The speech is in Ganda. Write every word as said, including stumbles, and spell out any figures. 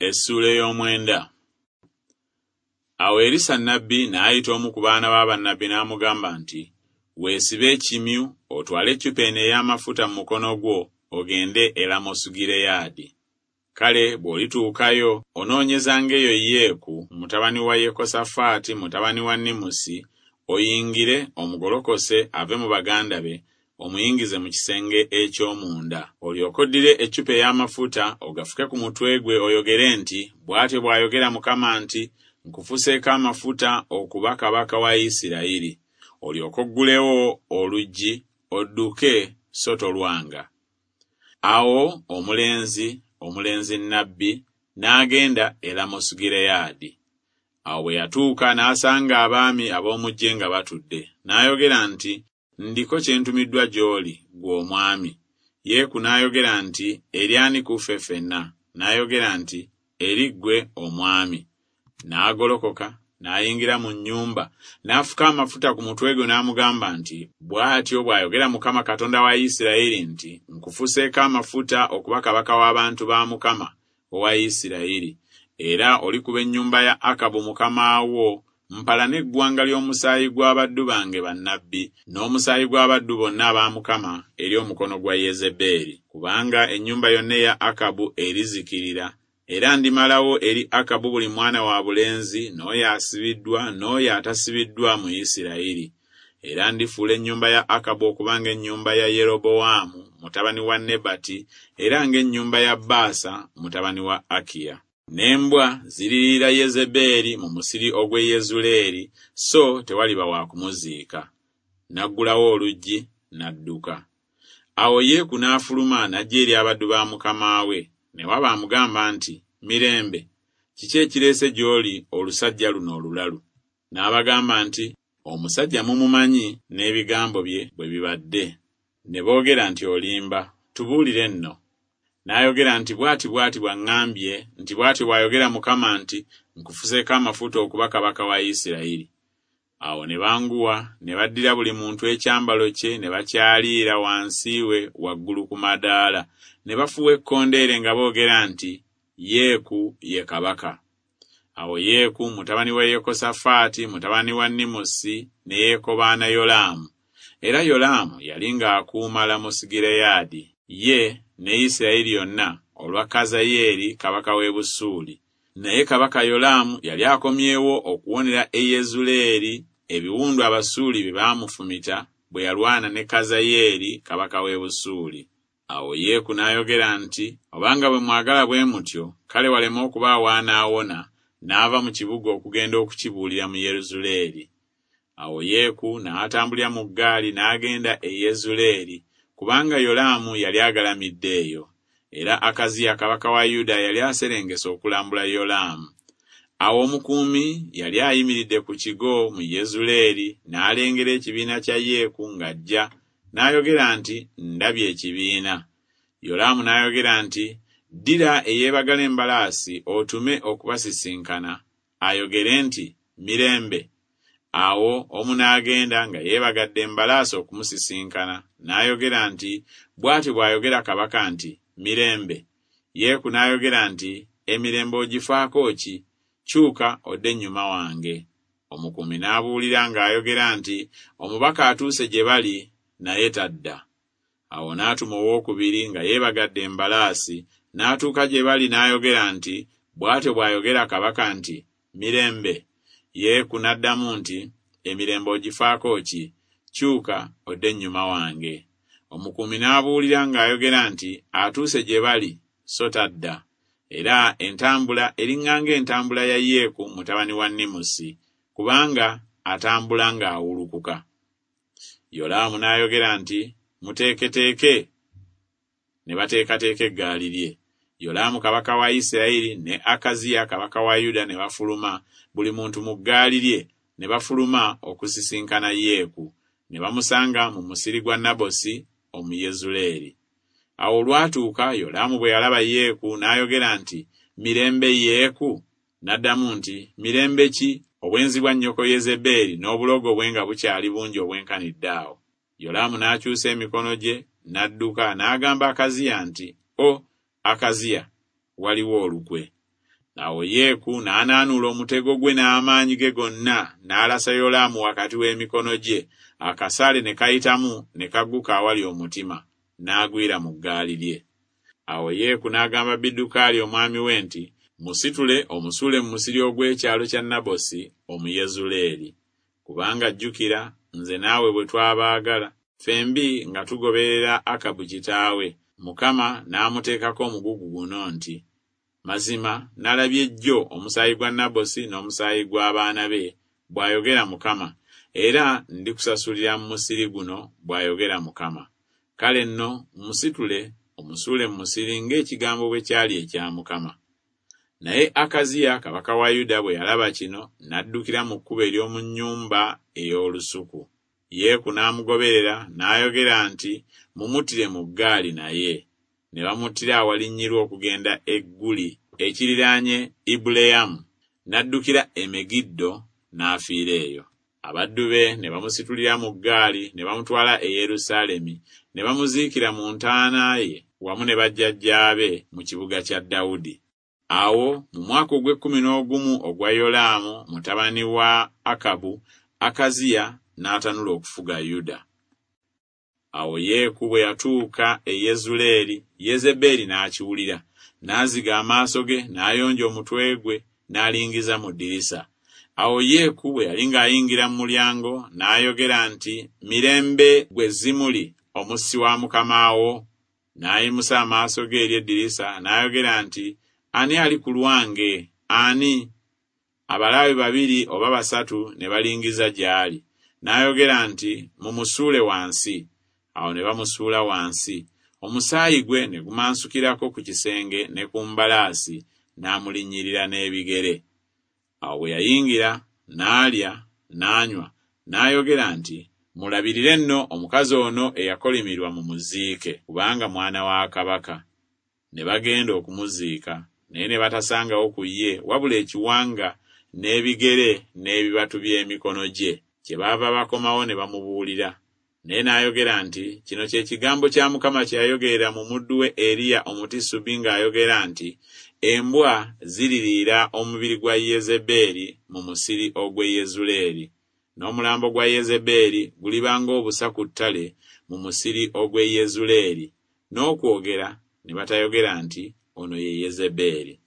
Essuula ey'omwenda. Awo Erisa nnabbi n'ayita omu ku baana ba bannabbi n'amugamba nti, Weesibe ekimyu, otwale eccupa eno ey'amafuta mu mukono gwo, ogende e Lamosugireyaadi. Kale bw'olituukayo, onoonyezanga eyo Yeeku mutabani wa Yekosafaati mutabani wa Nimusi, oyingire omugolokose ave mu baganda be, omuyingize mu kisenge eky'omunda. Olyoke oddire eccupa ey'amafuta ogafuke ku mutwe gwe oyogere nti, Bw'atyo bw'ayogera Mukama nti, Nkufuseeko amafuta okuba kabaka wa Isirayiri. Olyoke oggulewo oluggi, odduke so tolwanga. Awo omulenzi, omulenzi nnabbi, n'agenda e Lamosugireyaadi. Awo bwe yatuuka n'asanga abaami ab'omu ggye nga batudde. N'ayogera nti, Ndiko kye ntumiddwa gy'oli, ggwe omwami. Yeeku n'ayogera nti, Eri ani ku ffe ffenna? N'ayogera nti, Eri ggwe omwami. N'agolokoka, n'ayingira mu nnyumba, n'afuka amafuta ku mutwe gwe n'amugamba nti, Bw'atyo bw'ayogera Mukama Katonda wa Isirayiri nti, Nkufuseeko amafuta okuba kabaka w'abantu ba Mukama owa Isirayiri, era olikuba ennyumba ya Akabu mukama wo mpalane eggwanga ly'omusaayi gw'abaddu bange bannabbi n'omusaayi gw'abaddu bonna aba Mukama eri omukono gwa Yezebeeri. Kubanga ennyumba yonna eya Akabu erizikirira, era ndimalawo eri Akabu buli mwana wa bulenzi n'oyo asibiddwa n'oyo atasibiddwa mu Isirayiri. Era ndifuula ennyumba ya Akabu okuba ng'ennyumba ya Yerobowaamu mutabani wa Nebati era ng'ennyumba ya Baasa mutabani wa Akiya. N'embwa ziririira Yezebeeri mu musiri ogw'e Yezuleeri, so tewaliba wa kumuziika. N'aggulawo oluggi, n'adduka. Awo Yeeku n'afuluma n'ajja eri abaddu ba mukama we, ne waba amugamba nti, Mirembe, kiki ekireese gy'oli olusajja luno olulalu? N'abagamba nti, Omusajja mumumanyi n'ebigambo bye bwe bibadde. Ne boogera nti, Olimba, tubuulire nno. N'ayogera nti, Bw'ati bw'ati bw'aŋŋambye nti, Bw'atyo bw'ayogera Mukama nti, Nkufuseeko amafuta okuba kabaka wa Isirayiri. Awo ne banguwa, ne baddira buli muntu ekyambalo kye ne bakyaliira wansi we waggulu ku madaala, ne bafuuwa ekkondeere nga boogera nti, Yeeku ye kabaka. Awo Yeeku mutabani wa Yekosafaati mutabani wa Nimusi ne yeekobaana Yolaamu. Era Yolaamu yali ng'akuuma Lamosugireyaadi, ye ne Isirayiri yonna olwa Kazayeeri kabaka w'e Busuuli. Naye kabaka Yolaamu yali akomyewo okuwonera e Yezuleeri ebiwundu Abasuuli bye baamufumita bwe yalwana ne Kazayeeri kabaka w'e Busuuli. Awo Yeeku n'ayogera nti, Obanga bwe mwagala bwe mutyo, kale waleme okubaawo anaawona, n'ava mu kibuga okugenda okukibuulira mu Yezuleeri. Awo Yeeku n'atambulira mu ggaali n'agenda e Yezuleeri, kubanga Yolaamu yali agalamidde eyo. Era Akaziya kabaka wa Yuda yali aserengese okulambula Yolaamu. Awo omukuumi yali ayimiridde ku kigo mu Yezuleeri n'alengera ekibiina kya Yeeku ng'ajja, n'ayogera nti, Ndabye ekibiina. Yolaamu n'ayogera nti, Ddira eyeebagala embalaasi otume okubasisinkana, ayogere nti, Mirembe. Awo omu n'agenda nga yeebagadde embalaasi okumusisinkana, n'ayogera nti, Bw'atyo bw'ayogera kabaka nti, Mirembe. Yeeku n'ayogera nti, Emirembe ogifaako ki? Kyuka odde ennyuma wange. Omukuumi n'abuulira ng'ayogera nti, Omubaka atuuse gye bali, naye tadda. Awo n'atuma owookubiri nga yeebagadde embalaasi, n'atuuka gye bali n'ayogera nti, Bw'atyo bw'ayogera kabaka nti, Mirembe. Yeeku n'addamu nti, Emirembe ogifaako ki? Kyuka odde ennyuma wange. Omukuumi n'abuulira ng'ayogera nti, Atuuse gye bali, so tadda. Era entambula eriŋŋanga entambula ya Yeeku mutabani wa Nimusi, kubanga atambula ng'awulukuka. Yolaamu n'ayogera nti, Muteeketeeke. Ne bateekateeka eggaali lye. Yolaamu kabaka wa Isirayiri ne Akaziya kabaka wa Yuda ne bafuluma, buli muntu mu ggaali lye, ne bafuluma okusisinkana Yeeku, ne bamusanga mu musiri gwa Nabosi Omuyezuleeri. Awo olwatuuka Yolaamu bwe yalaba Yeeku n'ayogera nti, Mirembe Yeeku? N'addamu nti, Mirembe ki? Obwenzi bwa nnyoko Yezebeeri n'obulogo bwe nga bukyali bungi obwenkanidde awo. Yolaamu n'akyusa emikono gye n'adduka n'agamba Akaziya nti, O Akaziya, waliwo olukwe. Awo Yeeku n'anaanuula omutego gwe n'amaanyi ge gonna, n'alasa Yolaamu wakati w'emikono gye, akasaale ne kayitamu ne kagguka awali omutima, n'agwira mu ggaali lye. Awo Yeeku n'agamba Biddukaali omwami we nti, Musitule omusuule mu musiri ogw'ekyalo kya Nabosi Omuyezuleeri. Kubanga jjukira nze naawe bwe twabaagala, ffembi nga tugoberera Akabu kitaawe, Mukama n'amuteekako omugugu guno nti, Mazima nalabye jjo omusaayi gwa Nabosi n'omusaayi gw'abaana be, bw'ayogera Mukama, era ndikusasulira mu musiri guno, bw'ayogera Mukama. Kale nno musitule omusuule mu musiri ng'ekigambo bwe kyali ekya Mukama. Naye Akaziya kabaka wa Yuda bwe yalaba kino, n'addukira mu kkubo ery'omu nnyumba ey'olusuku. Yeeku n'amugoberera n'ayogera nti, Mumuttire mu ggaali naye. Ne bamuttira awalinnyirwa okugenda e Guli ekiriraanye Ibuleyamu, n'addukira e Megiddo n'afiira eyo. Abaddu be ne bamusitulira mu ggaali ne bamutwala e Yerusaalemi, ne bamuziikira mu ntaana ye wamu ne bajjajjaabe mu kibuga kya Dawudi. Awo mu mwaka ogw'ekkumi n'ogumu ogwa Yolaamu mutabani wa Akabu, Akaziya n'atanula okufuga Yuda. Awo Yeeku bwe yatuuka e Yezuleeri, Yezebeeri n'akiwulira, n'aziga amaaso ge, n'ayonja omutwe gwe, n'alingiza mu ddirisa. Awo Yeeku bwe yali ng'ayingira mu mulyango, n'ayogera nti, Mirembe gwe Zimuli, omussi wa mukama wo. N'ayimusa amaaso ge eri eddirisa, n'ayogera nti, Ani ali ku lwange? Ani? Abalaawe babiri oba basatu ne balingiza gy'ali. N'ayogera nti, Mumusuule wansi. Awo ne bamusuula wansi. Omusaayi gwe ne gumansukirako ku kisenge ne ku mbalaasi, n'amulinnyirira n'ebigere. Awo bwe yayingira, n'alya, n'anywa, n'ayogera nti, Mulabirire nno omukazi ono eyakolimirwa mumuziike, kubanga mwana wa kabaka. Ne bagenda okumuziika, naye ne batasangawo ku ye wabula ekiwanga n'ebigere n'ebibatu by'emikono gye. Kyebaava bakomawo ne bamubuulira. Naye n'ayogera nti, Kino kye kigambo kya Mukama kye yayogerera mu muddu we Eriya Omutisubi ng'ayogera nti, Embwa ziririira omubiri gwa Yezebeeri mu musiri ogw'e Yezuleeri, n'omulambo gwa Yezebeeri guliba ng'obusa ku ttale mu musiri ogw'e Yezuleeri, n'okwogera ne batayogera nti, Ono ye Yezebeeri.